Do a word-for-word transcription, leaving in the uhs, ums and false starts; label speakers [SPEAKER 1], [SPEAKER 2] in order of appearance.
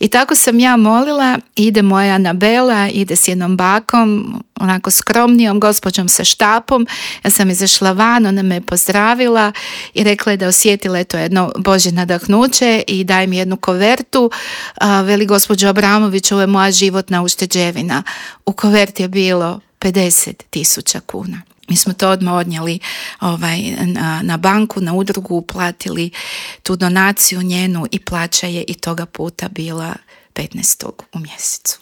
[SPEAKER 1] I tako sam ja molila, ide moja Anabela, ide s jednom bakom, onako skromnijom gospođom sa štapom. Ja sam izašla van, ona me pozdravila i rekla je da osjetila je to jedno Božje nadahnuće i daj mi jednu kovertu. A, veli, gospođo Abramović, ovo je moja životna ušteđevina. U koverti je bilo pedeset tisuća kuna. Mi smo to odmah odnijeli ovaj, na, na banku, na udrugu, uplatili tu donaciju njenu i plaća je i toga puta bila petnaestog u mjesecu.